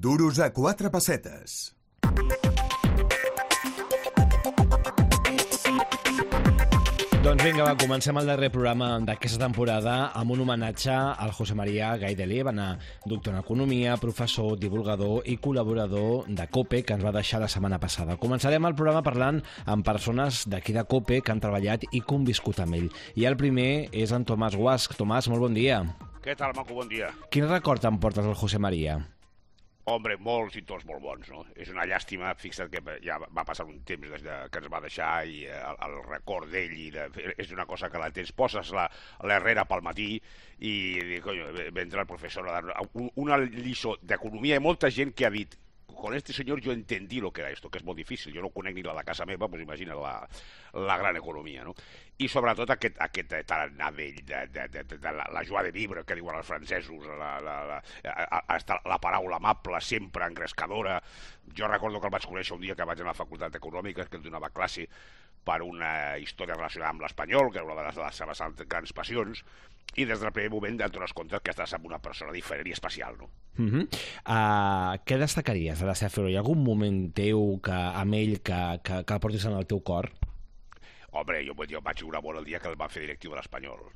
Duros a 4 pessetes. Doncs vinga, va, comencem el darrer programa d'aquesta temporada amb un homenatge al José María Gaidelí, doctor en Economia, professor, divulgador i col·laborador de COPE, que ens va deixar la setmana passada. Començarem el programa parlant amb persones d'aquí de COPE que han treballat i conviscut amb ell. I el primer és en Tomàs Guasch. Tomàs, molt bon dia. Què tal, maco? Bon dia. Quin record em portes del José María? Hombre, molts i tots molt bons, no? És una llàstima, fixa't que ja va passar un temps des que ens va deixar i el record d'ell és una cosa que la tens, poses l'herrera pel matí i coño, vendrà el professor a dar una lliçó d'economia. Hi ha molta gent que ha dit con este señor yo entendí lo que era esto, que és molt difícil. Jo no conec ni la de casa meva, doncs imagina la gran economia, no? I sobretot aquest tarannà d'ell, de la joie de vivre, que diuen els francesos, la paraula amable, sempre engrescadora. Jo recordo que el vaig conèixer un dia que vaig anar a la Facultat d'Econòmiques, que em donava classe per una història relacionada amb l'espanyol, que era una de les seves grans passions, i des del primer moment et dones compte que estàs amb una persona diferent i especial, no? Què destacaries de la seva figura? Hi ha algun moment teu amb ell que el portis en el teu cor? Home, jo vaig jugar molt el dia que el va fer directiu de l'Espanyol.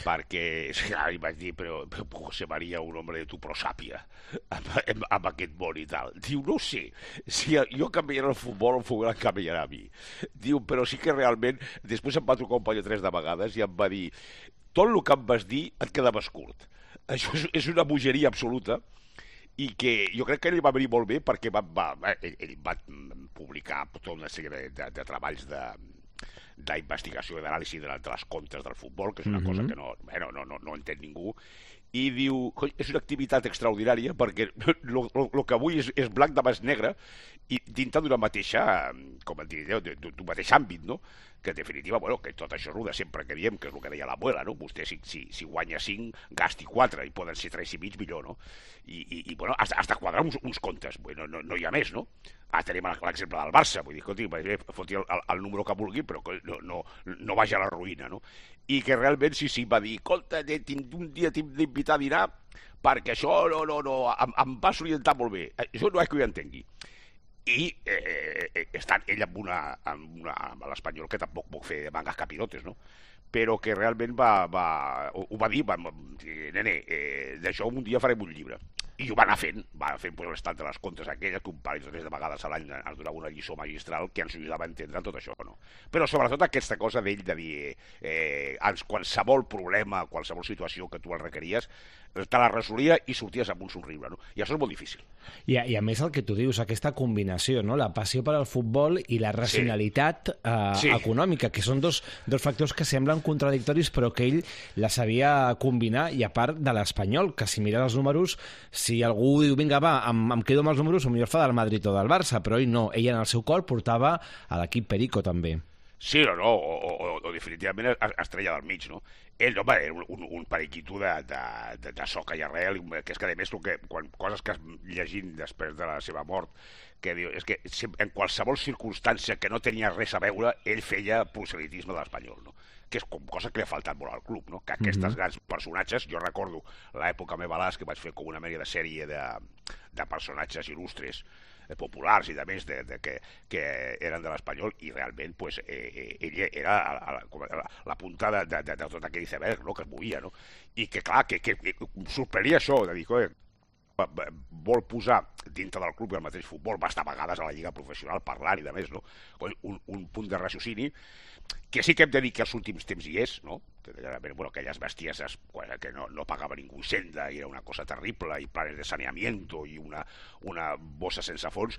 Perquè li vaig dir, però José María, un home de tu prosàpia amb aquest món i tal. Diu, no sé, si jo canviaré el futbol em canviarà a mi. Diu, però sí que realment després em va trucar un parell o tres de vegades i em va dir, tot el que em vas dir et quedaves curt. Això és una bogeria absoluta i que jo crec que ell va venir molt bé perquè ell va publicar tota una sèrie de treballs d'investigació i d'anàlisi de les comptes del futbol, que és una cosa que no entén ningú, i diu, és una activitat extraordinària perquè el que avui és blanc demà és negre i dintre d'una mateixa, com et diria, d'un mateix àmbit, no? Que en definitiva, bueno, que tot això és el de sempre que diem, que és el que deia l'abuela, no? Vostè si guanya 5, gasti 4, i poden ser 3 i mig millor, no? I bueno, has de quadrar uns comptes, bueno, no hi ha més, no? Tenim l'exemple del Barça, vull dir, escolti, foti el número que vulgui, però no vagi a la ruïna, no? I que realment sí, va dir, escolta, un dia t'hem d'invitar a dinar perquè això em va s'orientar molt bé, això no és que ho entengui. I estant ell amb l'Espanyol, que tampoc puc fer mangas capirotes, no? Però que realment ho va dir, nene, d'això un dia farem un llibre. I ho va anar fent l'estat de les comptes aquelles, que un parell o tres de vegades a l'any ens donava una lliçó magistral que ens ajudava a entendre tot això, no? Però sobretot aquesta cosa d'ell de dir qualsevol problema, qualsevol situació que tu el requeries, te la resolia i sorties amb un somriure, no? I això és molt difícil. I a més el que tu dius, aquesta combinació, no? La passió per al futbol i la racionalitat econòmica, que són dos factors que semblen contradictoris però que ell la sabia combinar, i a part de l'Espanyol, que si mires els números, si algú diu, vinga, va, em quedo amb els números, potser fa del Madrid o del Barça, però ell no, ell en el seu cor portava a l'equip Perico també. Sí, o definitivament es treia del mig, no? Ell, home, era un periquito de soca i arrel, que és que, a més, coses que llegint després de la seva mort, que diu, és que en qualsevol circumstància que no tenia res a veure, ell feia proselitisme de l'Espanyol, no? Que és cosa que li ha faltat molt al club, no? Que aquests grans personatges, jo recordo l'època meva que vaig fer com una mènia de sèrie de personatges il·lustres, populars i de més que eren de l'Espanyol, i realment ell era la punta de tot aquell iceberg, no? Que es movia, no? I que clar, que sorprenia això de dir, vol posar dintre del club i el mateix futbol, va estar a vegades a la lliga professional parlant i de més, no? Un punt de raciocini que sí que hem de dir que als últims temps hi és, no? Aquelles bestieses que no pagava ningú Hisenda i era una cosa terrible, i planes de saneamiento i una bossa sense fons,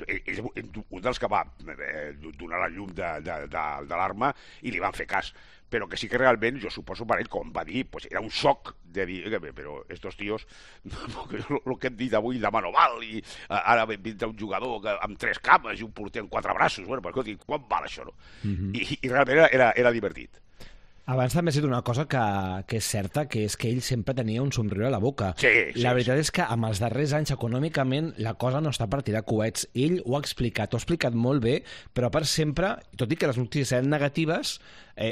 és un dels que va donar la llum de l'arma i li van fer cas. Però que sí que realment, jo suposo per ell, com va dir, era un xoc de dir, però estos tíos, el que hem dit avui demà no val, i ara vindrà un jugador amb 3 cames i un porter amb 4 braços, bueno, però escolti, quan val això, no? I realment era divertit. Abans també ha dit una cosa que és certa, que és que ell sempre tenia un somriure a la boca. Sí, la veritat és que amb els darrers anys econòmicament la cosa no està per tirar coets. Ell ho ha explicat molt bé, però per sempre, tot i que les notícies eren negatives,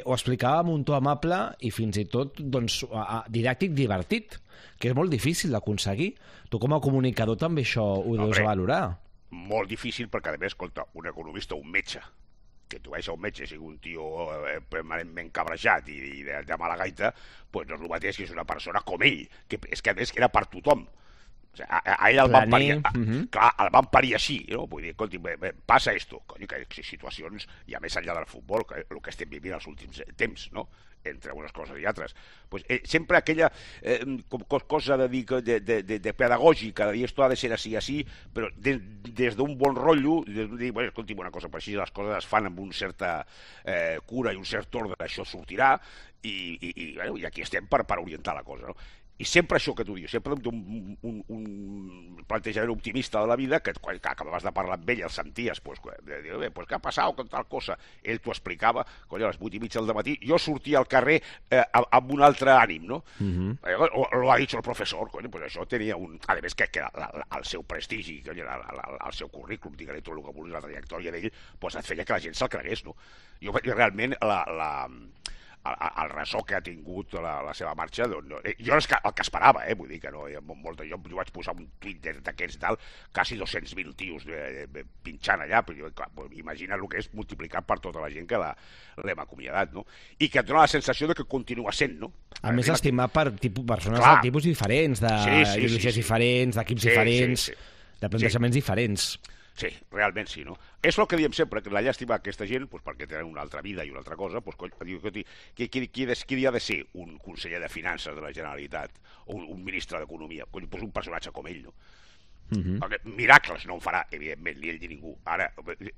ho explicava amb un to amable i fins i tot didàctic, divertit. que és molt difícil d'aconseguir. Tu com a comunicador també això ho deus valorar. Molt difícil perquè, a més, escolta, un economista, un metge, que tu veus un metge sigui un tio permanentment cabrejat i de mala gaita, doncs no és el mateix que és una persona com ell, que és que a més era per tothom. O sigui, a ell el van parir, clar, el van parir així, no? Vull dir, escolti, passa esto, cony, que situacions, ja més enllà del futbol, que el que estem vivint els últims temps, no? Entre unes coses i altres. Pues, sempre aquella cosa de dir de pedagògica, de dir esto ha de ser així, però des d'un bon rotllo, de dir, bueno, escolti, una cosa, per així les coses es fan amb una certa cura i un cert ordre, això sortirà, i aquí estem per orientar la cosa, no? I sempre això que tu dius, sempre un plantejament optimista de la vida, que quan acabaves de parlar amb ell, el senties, pues, què ha passat con tal cosa? Ell t'ho explicava, a les 8:30 del matí, jo sortia al carrer amb un altre ànim, no? Lo ha dit el professor, pues això tenia un... A més, que el seu prestigi, el seu currículum, digue-li tot el que vulguis, la trajectòria d'ell, pues et feia que la gent se'l cregués, no? Jo realment el ressò que ha tingut la seva marxa, doncs, jo és el que esperava, vull dir que no, jo vaig posar un tuit d'aquests dalt, quasi 200.000 tios pinxant allà, però imagina el que és multiplicat per tota la gent que l'hem acomiadat, no? I que et dona la sensació de que continua sent, no? A més, estimat per persones de tipus diferents, d'ideologies diferents, d'equips diferents, de plantejaments diferents. Sí, realment sí, no? És el que diem sempre, que la llàstima d'aquesta gent, pues, perquè tenen una altra vida i una altra cosa, pues, qui ha de ser un conseller de Finances de la Generalitat o un ministre d'Economia? Pues un personatge com ell, no? Perquè miracles no en farà, evidentment, ni ell ni ningú. Ara,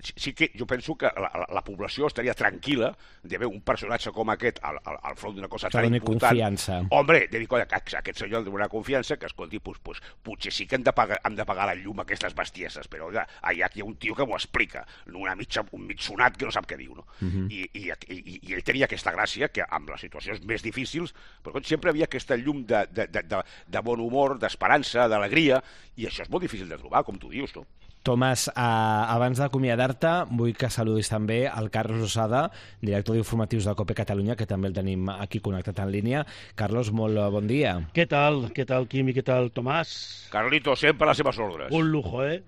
sí que jo penso que la població estaria tranquil·la d'haver un personatge com aquest al front d'una cosa tan important. Confiança. Hombre, de dir, colla, que aquest senyor de donar confiança, que escolti, pues, potser sí que hem de pagar la llum a aquestes bestieses, però allà hi ha un tio que m'ho explica, un mig sonat que no sap què diu, no? I ell tenia aquesta gràcia, que amb les situacions més difícils, però sempre havia aquesta llum de bon humor, d'esperança, d'alegria, i això és molt difícil de trobar, com tu dius, no? Tomàs, abans d'acomiadar-te, vull que saludis també el Carlos Losada, director d'informatius de COPE Catalunya, que també el tenim aquí connectat en línia. Carlos, molt bon dia. Què tal, Quim, i què tal, Tomàs? Carlito, sempre a les seves ordres. Un lujo, El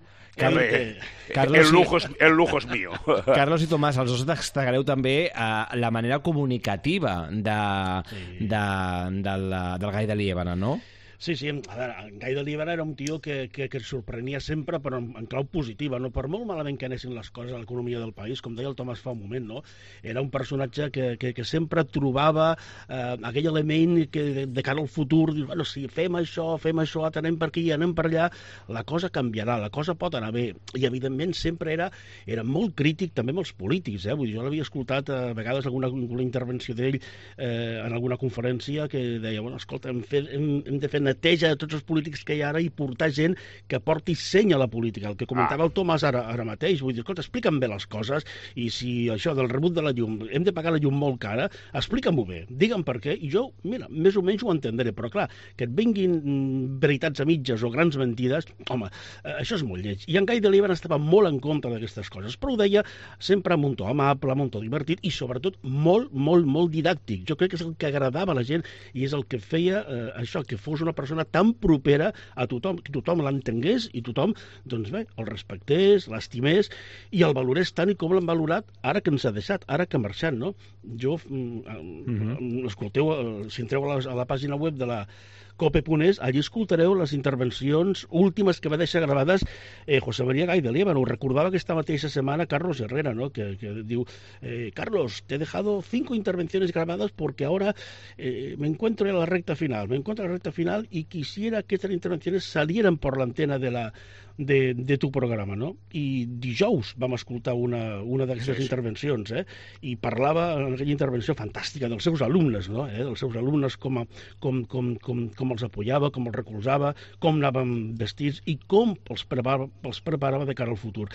lujo és mío. Carlos i Tomàs, els dos destacareu també la manera comunicativa del Gai de Liébana, no? Sí, a veure, en Gai de Liébana era un tio que ens sorprenia sempre, però en clau positiva, no? Per molt malament que anessin les coses a l'economia del país, com deia el Tomàs fa un moment, no? Era un personatge que sempre trobava aquell element que de cara al futur, dius, bueno, si fem això, anem per aquí, anem per allà, la cosa canviarà, la cosa pot anar bé. I, evidentment, sempre era molt crític també amb els polítics, Vull dir, jo l'havia escoltat a vegades alguna intervenció d'ell en alguna conferència que deia, bueno, escolta, hem de fer neteja de tots els polítics que hi ha ara i portar gent que porti seny a la política. El que comentava el Tomàs ara mateix, vull dir, escolta, explica'm bé les coses, i si això del rebut de la llum, hem de pagar la llum molt cara, explica'm-ho bé, digue'm per què, i jo, mira, més o menys ho entendré, però clar, que et vinguin veritats a mitges o grans mentides, home, això és molt lleig. I en Gai de Liébana estava molt en contra d'aquestes coses, però ho deia sempre amb un to amable, amb un to divertit, i sobretot molt, molt, molt didàctic. Jo crec que és el que agradava a la gent i és el que feia això, que fos una persona tan propera a tothom, que tothom l'entengués i tothom, doncs bé, el respectés, l'estimés i el valorés tant i com l'han valorat ara que ens ha deixat, ara que ha marxat, no? Jo, escolteu, si entreu a la pàgina web de la COPE.es, allí escoltareu les intervencions últimes que va deixar gravades José María Gai de Liébana. Ho recordava aquesta mateixa setmana Carlos Herrera, ¿no? que diu, Carlos, te he dejado 5 intervenciones grabadas porque ahora me encuentro en la recta final, y quisiera que estas intervenciones salieran por la antena de tu programa, no? I dijous vam escoltar una d'aquestes intervencions, i parlava en aquella intervenció fantàstica dels seus alumnes, no? Dels seus alumnes, com els apoyava, com els recolzava, com anaven vestits i com els preparava de cara al futur.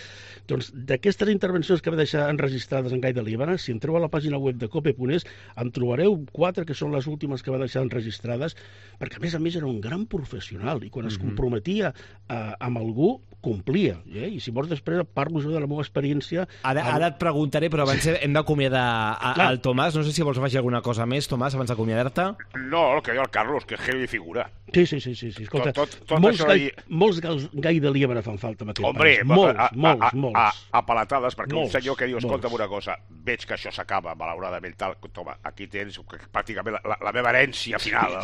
Doncs d'aquestes intervencions que va deixar enregistrades en Gai de Liébana, si entreu a la pàgina web de COPE.es, en trobareu 4 que són les últimes que va deixar enregistrades, perquè a més era un gran professional, i quan es comprometia amb algú tu complia, i si vols després parlo jo de la meva experiència... Ara et preguntaré, però abans hem d'acomiadar el Tomàs. No sé si vols afegir alguna cosa més, Tomàs, abans d'acomiadar-te. No, el que diu el Carlos, que és geni de figura. Sí. Escolta, molts gai de liebre fan falta en aquest país. Molts. A palatades, perquè un senyor que diu, escolta'm una cosa, veig que això s'acaba, malauradament, tal, toma, aquí tens pràcticament la meva herència final,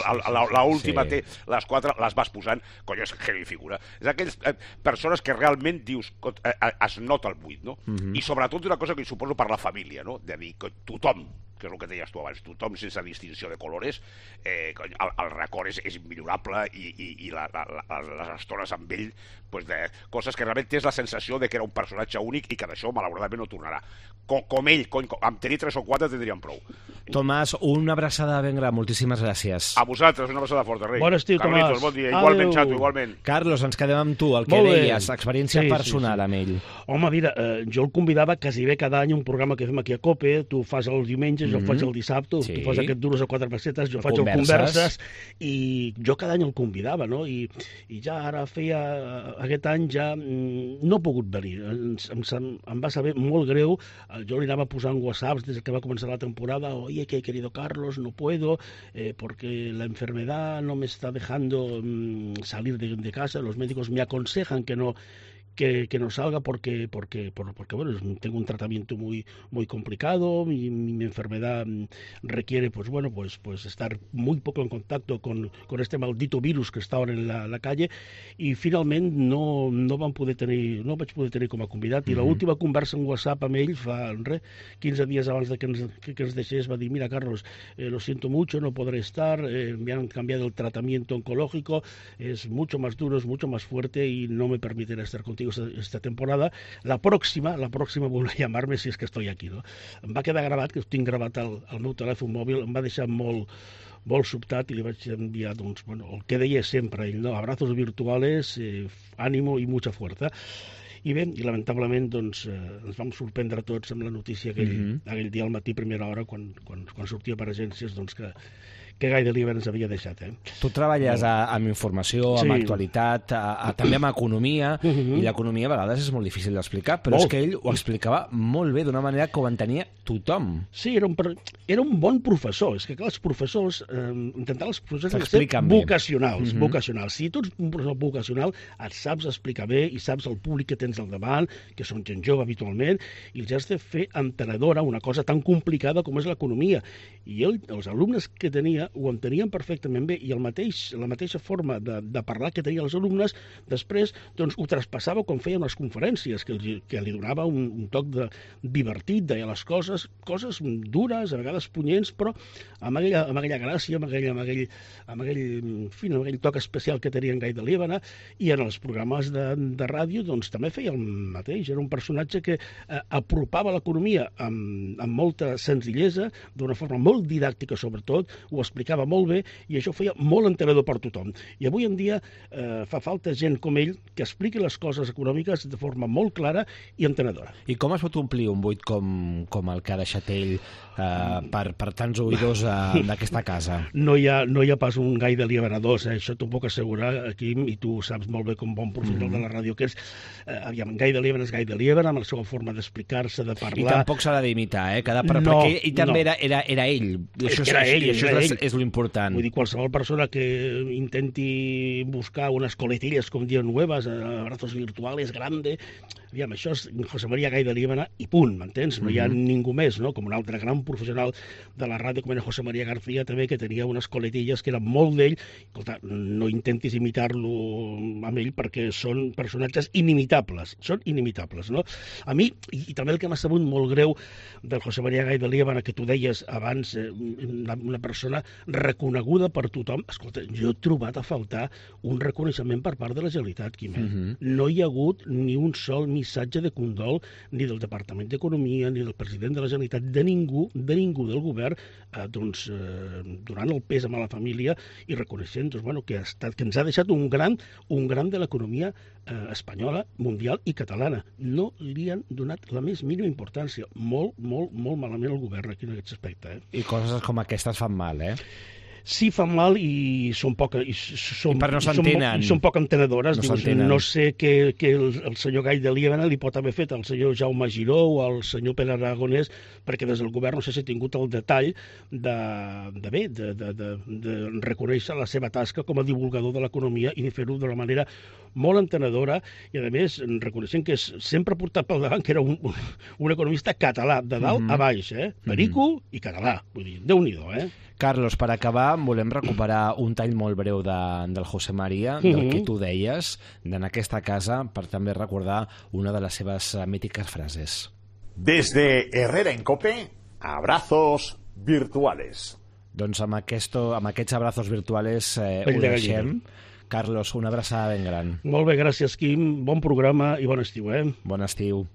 l'última té, les 4 les vas posant, cony, és geni de figura. És aquells persones que realment dius, es nota el buit, no? I sobretot una cosa que suposo per la família, no? De dir que tothom, que és el que deies tu abans, tothom sense distinció de colores, el record és immillorable i les estones amb ell, de coses que realment tens la sensació de que era un personatge únic i que d'això malauradament no tornarà. Com ell, amb tenir 3 o 4 tindríem prou. Tomàs, una abraçada ben gran, moltíssimes gràcies. A vosaltres, una abraçada forta, rei. Bon estiu, Tomàs. Carlitos, bon dia. Igualment, Xato, igualment. Carlos, ens quedem amb tu, el que deies, experiència personal amb ell. Home, mira, jo el convidava quasi bé cada any un programa que fem aquí a COPE, tu fas el diumenge, jo el faig el dissabte, tu fas aquest Duros a 4 pessetes, jo faig el Converses, i jo cada any el convidava, no? I ja ara aquest any ja no he pogut venir. Em va saber molt greu, jo li anava posant whatsapps des que va començar la temporada, oye, que querido Carlos, no puedo, porque la enfermedad no me está dejando salir de casa, los médicos me aconsejan que no salga porque bueno, tengo un tratamiento muy complicado, mi enfermedad requiere pues estar muy poco en contacto con este maldito virus que está ahora en la calle, i finalment no vaig poder tenir com a convidat, i l'última conversa en WhatsApp amb ell fa 15 dies abans de que ens deixés va dir, mira Carlos, lo siento mucho, no podré estar, me han cambiado el tratamiento oncológico, es mucho más duro, es mucho más fuerte y no me permitirá estar contigo esta temporada. La próxima volverá a llamarme si és que estoy aquí, no? Em va quedar gravat, que ho tinc gravat al meu telèfon mòbil, em va deixar molt sobtat i li vaig enviar, doncs, bueno, el que deia sempre ell, no? Abrazos virtuales, ánimo y mucha fuerza. I bé, i lamentablement doncs, ens vam sorprendre tots amb la notícia aquell dia al matí, primera hora, quan sortia per agències, doncs que Gai de Lieber ens havia deixat. Tu treballes amb informació, amb actualitat, també amb economia, i l'economia a vegades és molt difícil d'explicar, però és que ell ho explicava molt bé, d'una manera que ho entenia tothom. Sí, era un bon professor. És que, clar, els professors, intentar els professors han de ser vocacionals. Si tu ets un professor vocacional, et saps explicar bé i saps el públic que tens al davant, que són gent jove habitualment, i els has de fer entenedora una cosa tan complicada com és l'economia. I els alumnes que tenia ho entenien perfectament bé, i la mateixa forma de parlar que tenia els alumnes, després doncs, ho traspassava quan feia unes conferències, que li donava un toc divertit, deia les coses dures, a vegades punyents, però amb aquella gràcia, amb aquell toc especial que tenia en Gai de Lieber, i en els programes de ràdio doncs, també feia el mateix. Era un personatge que apropava l'economia amb molta senzillesa, d'una forma molt didàctica sobretot, ho explicava molt bé, i això feia molt entenedor per tothom. I avui en dia fa falta gent com ell que expliqui les coses econòmiques de forma molt clara i entenedora. I com es pot omplir un buit com el que ha deixat ell per tants oïdors d'aquesta casa? No hi ha pas un Gai de Lieber a dos, això t'ho puc assegurar, Quim, i tu saps molt bé com bon professional de la ràdio que és. Gai de Lieber és Gai de Lieber, amb la seva forma d'explicar-se, de parlar. I tampoc s'ha de d'imitar, perquè ell també era ell. Això és l'important. Vull dir, qualsevol persona que intenti buscar unes coletillas, com diuen nuevas, abrazos virtuales, grande, aviam, això és José María Gai de Lieber i punt, m'entens? No hi ha ningú més, no? Com un altre gran professional de la ràdio, com era José María García, també, que tenia unes coletillas que eren molt d'ell. Escolta, no intentis imitar-lo amb ell, perquè són personatges inimitables, no? A mi, i també el que m'ha sabut molt greu del José María Gai de Lieber, que tu deies abans, una persona reconeguda per tothom. Escolta, jo he trobat a faltar un reconeixement per part de la Generalitat, Quim. No hi ha hagut ni un sol missatge de condol ni del Departament d'Economia, ni del president de la Generalitat, de ningú del govern, donant el pèsam a la família i reconeixent que ens ha deixat un gran de l'economia espanyola, mundial i catalana. No li han donat la més mínima importància. Molt malament el govern aquí en aquest aspecte. I coses com aquestes fan mal, sí fan mal i són poc... I no s'entenen. I són poc entenedores. No sé què el senyor Gai de Liebana li pot haver fet al senyor Jaume Giró o al senyor Pere Aragonès, perquè des del govern no sé si ha tingut el detall de reconèixer la seva tasca com a divulgador de l'economia i de fer-ho d'una manera molt entenedora i, a més, reconeixent que sempre ha portat pel davant que era un economista català, de dalt a baix, perico i català. Vull dir, Déu-n'hi-do, Carlos, per acabar, volem recuperar un tall molt breu del José María, del que tu deies, en aquesta casa, per també recordar una de les seves mítiques frases. Desde Herrera en Cope, abrazos virtuales. Doncs amb aquests abrazos virtuals ho deixem. Carlos, una abraçada ben gran. Molt bé, gràcies, Quim. Bon programa i bon estiu, Bon estiu.